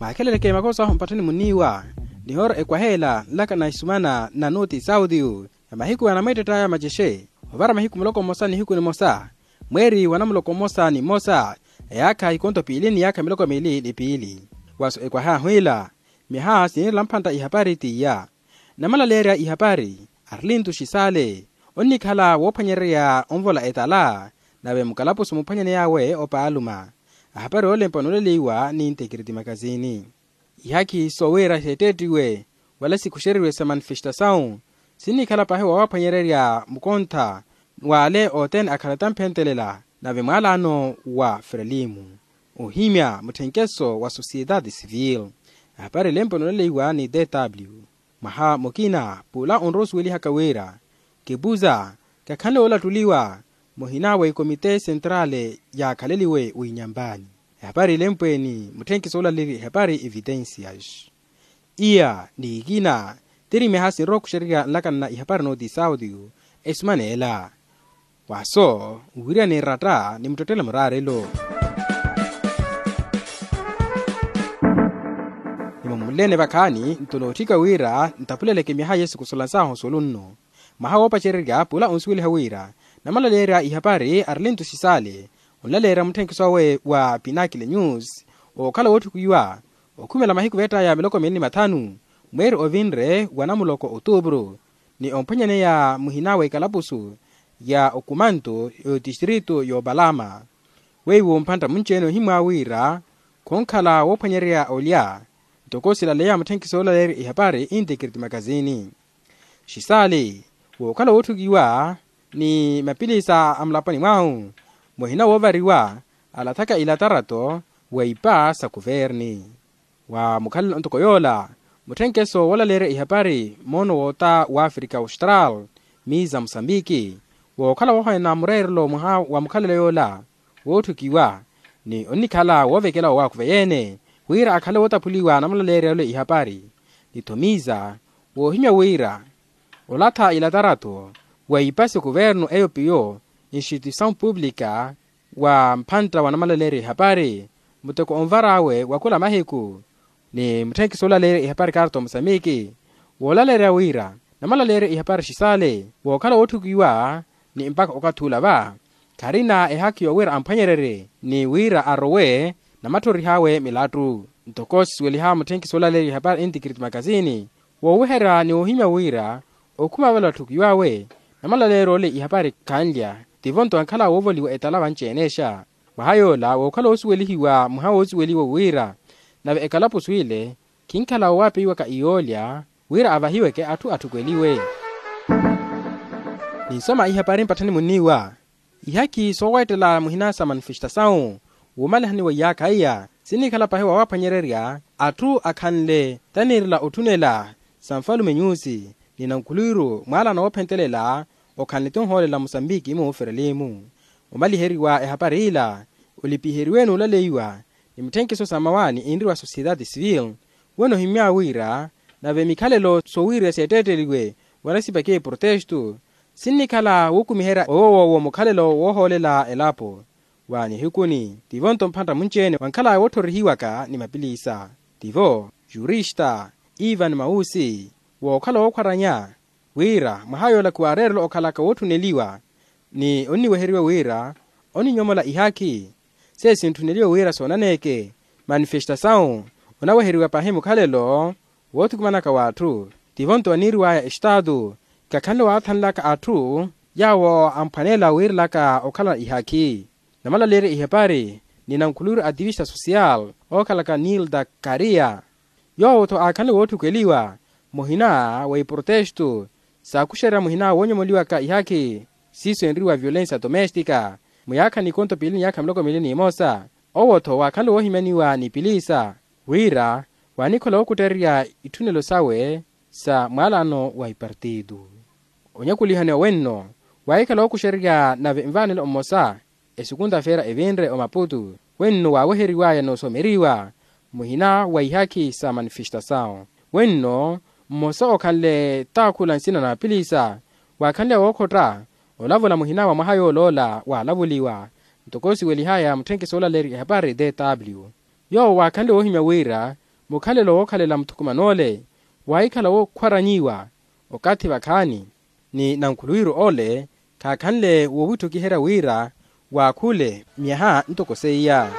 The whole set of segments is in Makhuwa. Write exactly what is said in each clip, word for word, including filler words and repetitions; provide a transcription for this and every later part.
Mwaakheleleke makosa ahu mpatthani muniiwa. Nihoora ekwaheela nlaka na isumana na nuti saudiyu ya mahiku anamweettett'aya macexe, ovara mahiku muloko mmosa nihiku nimosa, mweeri wa namuloko mmosa ni mmosa, eyaakha ikonto piili ni yaakha miloko miili ni piili. Waso ekwahe ahu ila, myaha siniirela mphantta ihapari t'iya. Namalaleerya ihapari, arlintu xisale, onnikhala woophwanyererya onvola etala, nave mukalapusu muphwanyaney'awe opaaluma. Ahapari oolempwa nooleleiwa ni ntekiriti makasini. Ihakhi soowira xeettettiwe wala sikuxeriwe sa manifestasawu, sinnikhala paahi woowaphwanyererya mukontha w'ale othene akhala tamphentelela, nave mwaalano wa frelimu, ohimya mutthenkeso wa sosiyetati sivili. Ahapari elempwa nooleleiwa ni tw. Mwaha mukina pula onrowa osuwelihaka wira, kipuza kakhanle woolattuliwa muhina wa ikomite sentrale yaakhaleliwe winyambani. Ehapari elempwa eni mutthenkiso oolaleerya ehapari evitensias. Iya ni ikina tiri myaha sinrowa okuxererya nlakana na ihapari nooti saudiyu, esumaneela. Waso nwiriyane eratta ni muttettele muraarelo. Nimumulene vakhaani nto nootthika wira ntapuleleke myaha yesu kusolansahu osulu nno. Mwaha woopacererya pula onsuweliha wira namalaleerya ihapari arlintu xisale, onlaleerya mutthenkiso awe wa pinakile news, ookhala wootthukiwa okhumela mahiku veett'aya miloko miili ni mathanu, mweeri ovinre wa namuloko otuupuru, ni omphwanyaneya muhina wa ikalapusu ya okumantu y'otistritu y'opalama. Weiwo mphantta munci-ene ohimwa wira khonkhala woophwanyererya olya, ntoko silaleya mutthenkiso oolaleerya ihapari intekiriti makasini. Xisale wookhala wootthukiwa ni mapilisa a mulaponi mwahu, muhina woovariwa alathaka ilatarato wa ipa sa kuverni. Wa mukhalelo ntoko yoola, mutthenkeso woolaleerya ihapari moono woota w'afrika austral, miza musambiki, wookhala woohonena mureerelo mwaha wa mukhalelo yoola wootthukiwa, ni onnikhala woovekela wowaakuveya-ene wira akhale wootaphuliwa namalaleerya ole ihapari. Ni-tho miza woohimya wira olatha ilatarato wa ipasi kuvernu eyo piyo instituisawu publika wa mphantta wa namalaleerya ihapari, muteko onvar'awe wa khula mahiku. Ni mutthenkiso oolaleerya ihapari karto musamiki woolaleerya wira namalaleerya ihapari xisale wookhala wootthukiwa ni mpakha okathi ula va, kharina ehakhi yowira amphwanyererye ni wira arowe namatthorih'awe milattu. Ntoko sisuweliha mutthenkiso oolaleerya ihapari intikiriti makasini, wooweherya ni woohimya wira okhuma vale watthukiw'awe namalaleerya ole ihapari khanlya, tivo nto ankhala woovoliwa etala vanci-enexa. Mwaha yoola wookhala woosuwelihiwa mwaha woosuweliwa wira nave ekalapusu ile khinkhala woowapeiwaka iyoolya wira avahiweke atthu atthukweliwe. Ninsoma ihapari mpatthani muniiwa, ihakhi sooweettela muhina sa manifestasawu wuumalihani wa iyaakha iya sinnikhala paahi woowaphwanyererya atthu akhanle taniirela otthunela sa nfalume nyusi ni nankhuluwiru mwaalano woophentelela okhanle ti onhoolela musambiki mu frelimu. Omaliheriwa ehapari ila olipiheriwe n'ulaleiwa ni mutthenkiso sa mawaani inriwa sosiyetati sivili, weno ohimya wira nave mikhalelo soowirya seettetteliwe wala sipakhiwe protestu sinnikhala wukumiherya owo woowo mukhalelo woohoolela elapo. Wa nihikuni tivo nto mphantta munci-ene wankhala wootthorihiwaka ni mapilisa, tivo jurista ivan mawusi wookhala wookhwaranya wira mwaha yoola khuwaareerela okhalaka wootthuneliwa ni onniweheriwa wira oninyomola ihakhi sesintthuneliwe wira soonaneke manifestasawu onaweheriwa paahi mukhalelo woothukumanaka w'atthu. Tivo nto aniiriw'aya estaatu kakhanle waathanlaka atthu yaawo amphwaneela wiirelaka okhala ihakhi. Namalaleerya ihepari ni nankhuluwiru ativista sosiyal ookhalaka nilda kariya yoowo-tho aakhanle wootthukeliwa muhina wa iprotestu saakuxerya muhina woonyomoliwaka ihakhi siiso enriwa violensia domestika muyaakhani ikonto piili ni yaakha miloko miili n'imosa. Owo-tho waakhanle woohimyaniwa ni pilisa wira waanikhola wookuttererya itthunelo sawe sa mwaalano wa ipartitu. Onyakulihani owenno waahikhala ookuxererya nave nvaanelo mmosa esukunta feera evinre omaputu wenno waaweheriwaya n'osomeriwa muhina wa ihakhi sa manifestasawu wenno mmosa okhanle taakhula nsina na apilisa waakhanle wookhotta olavula muhina wa mwaha yooloola waalavuliwa. Ntoko siwelihaya mutthenke soolaleerya ehapari tw yoowo waakhanle woohimya wira Mukhalelo wookhalela muthukuman'ole waahikhala wookhwaranyiwa okathi vakhaani, ni nankhuluwiru ole khaakhanle woowittukiherya wira waakhule myaha ntoko seiya.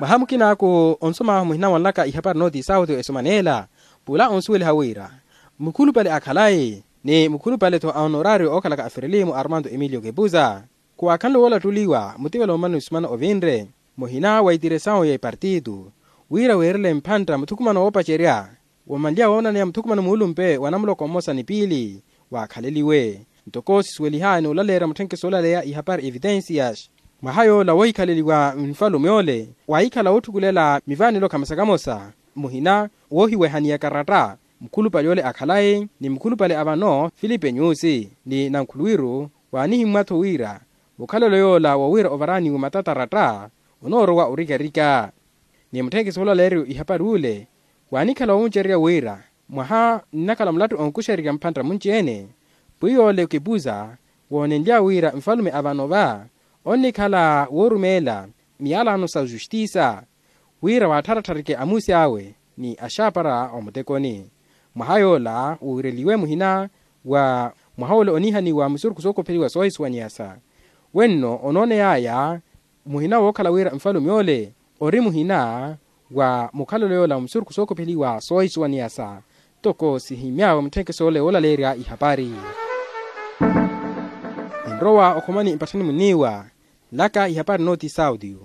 Mwaha mukinaaku onsomaahu muhina wanlaka ihapari nooti sauti esomaneela pula onsuweliha wira mukhulupale a khalayi ni mukhulupale-tho a onoraario ookhalaka a ferelimu armando emilio kepuza khuwaakhanle woolattuliwa mutivela omani osumana ovinre muhina wa itiresawu ya ipartitu wira weerele mphantta muthukumano woopacerya womanlya woonaneya muthukumano muulumpe wa namuloko mmosa ni piili waakhaleliwe. Ntoko sisuweliha ni olaleerya mutthenkeso olaleya ihapari evitensias mwaha yoola woohikhaleliwa nfalume ole waahikhala wootthukulela mivaanelo khamosa khamosa muhina woohiwehaniya karatta mukhulupale ole a khalayi ni mukhulupale a vano filipe nyusi ni nankhuluwiru waanihimmwa-tho wira mukhalelo yoola woowira ovaraniwe matataratta onoorowa orikarika. Ni mutthenkeso olaleeriwe ihapari ule waanikhala woomucererya wira mwaha nnakhala mulattu onkuxererya mphantta munci-ene pwiya ole okipuza woonenlya wira nfalume a vano va onnikhala woorumeela miyalano sa ojustisa wira waattharatharike amuusi awe ni axaapara omutekoni. Mwaha yoola woowireliwe muhina wa mwaha ole oniihaniwa musurukhu sookopheliwa soohisuwaniyasa wenno onooney'aya muhina wookhala wira nfalume ole ori muhina wa mukhalelo yoola musurukhu sookopheliwa soohisuwaniyasa. Ntoko sihimmy'awe mutthenkeso ole woolaleerya ihapari ninrowa okhomani mpatthani muniiwa nlaka ihapari nooti sauti.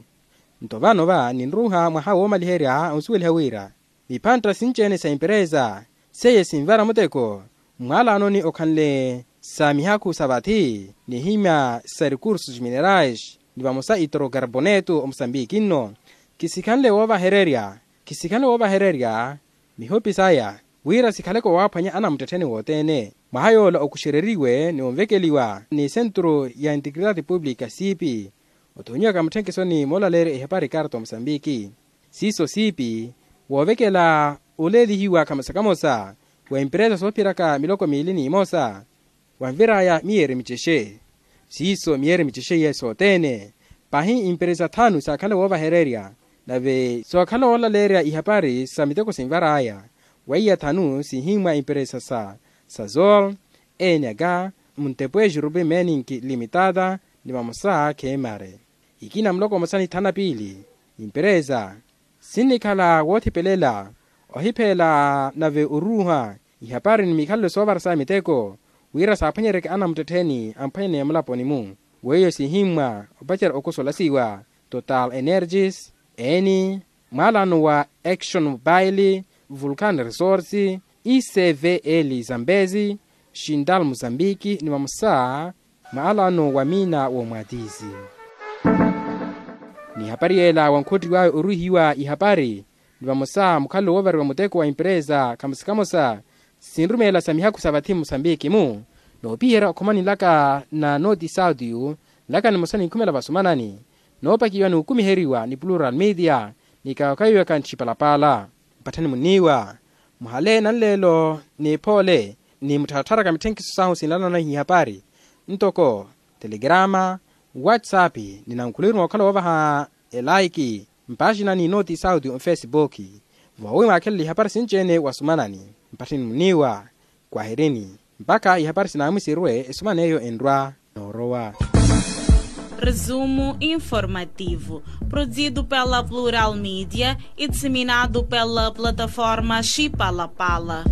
Nto vano va ninruuha mwaha woomaliherya onsuweliha wira miphantta sinci-ene sa emperesa seiye sinvara muteko mmwalaanoni okhanle sa mihakhu sa vathi nihimya sa recursos minerais ni vamosa itrokarboneto omusambiki nno khisikhanle woovahererya khisikhanle woovahererya mihopi saya wira sikhaleke owaaphwanya anamuttettheni wothene. Mwaha yoola okuxereriwe ni onvekeliwa ni sentru ya integridade publica siipi othonyiwaka mutthenkeso ni moolaleerya ihapari karto musambiki siiso siipi woovekela oleelihiwa khamosa khamosa wa emperesa soophiraka miloko miili n'imosa wanvir'aya miyeeri micexe siiso miyeeri micexe iye sothene pahi emperesa thanu saakhala woovahererya nave sookhala woolaleerya ihapari sa miteko sinvar'aya weiya thanu siihimmwa emperesa sa sazol enyaka muntepwe jurupi meninki limitada ni vamosa khemare ikina muloko mmosa ni thanu na piili emperesa sinnikhala woothipelela ohipheela nave oruuha ihapari ni mikhalelo soovarasaya miteko wira saaphwanyeryeke anamuttettheni amphwanyaneya mulaponi-mu weiyo sihimmwa opacerya okosolasiwa total energies eni mwalaano wa action mobile vulcan resource icvl zambezi shintal mozambique ni vamosa maalano wa miina womwatizi n'ihapari yeela wankhottiw'awe oruhiwa ihapari ni vamosa mukhalelo woovariwa muteko wa emperesa khamosa khamosa sinrumeela sa mihakhu sa vathi musambiki-mu noopiherya okhomani nlaka na nooti sauti nlaka nimosa ninkhumela vasumanani noopakiwa n'ukumiheriwa ni plural media ni kaakhayiwaka nttipalapala mpatthani muniiwa muhale nanleelo n'iphoole ni muttharatharaka mitthenkiso sahu sinlanana ihapari ntoko telegrama whatsapp ni nankhulwiru mookhala woovaha elaiki mpaxina ni nooti sauti onfesibuki voowi mwaakhelela ihapari sinci-ene wasumanani mpatthani muniiwa kwahirini mpakha ihapari sinaamwisirwe esuman'eyo enrwa noorowa. Resumo informativo, produzido pela Plural Mídia e disseminado pela plataforma Chipalapala.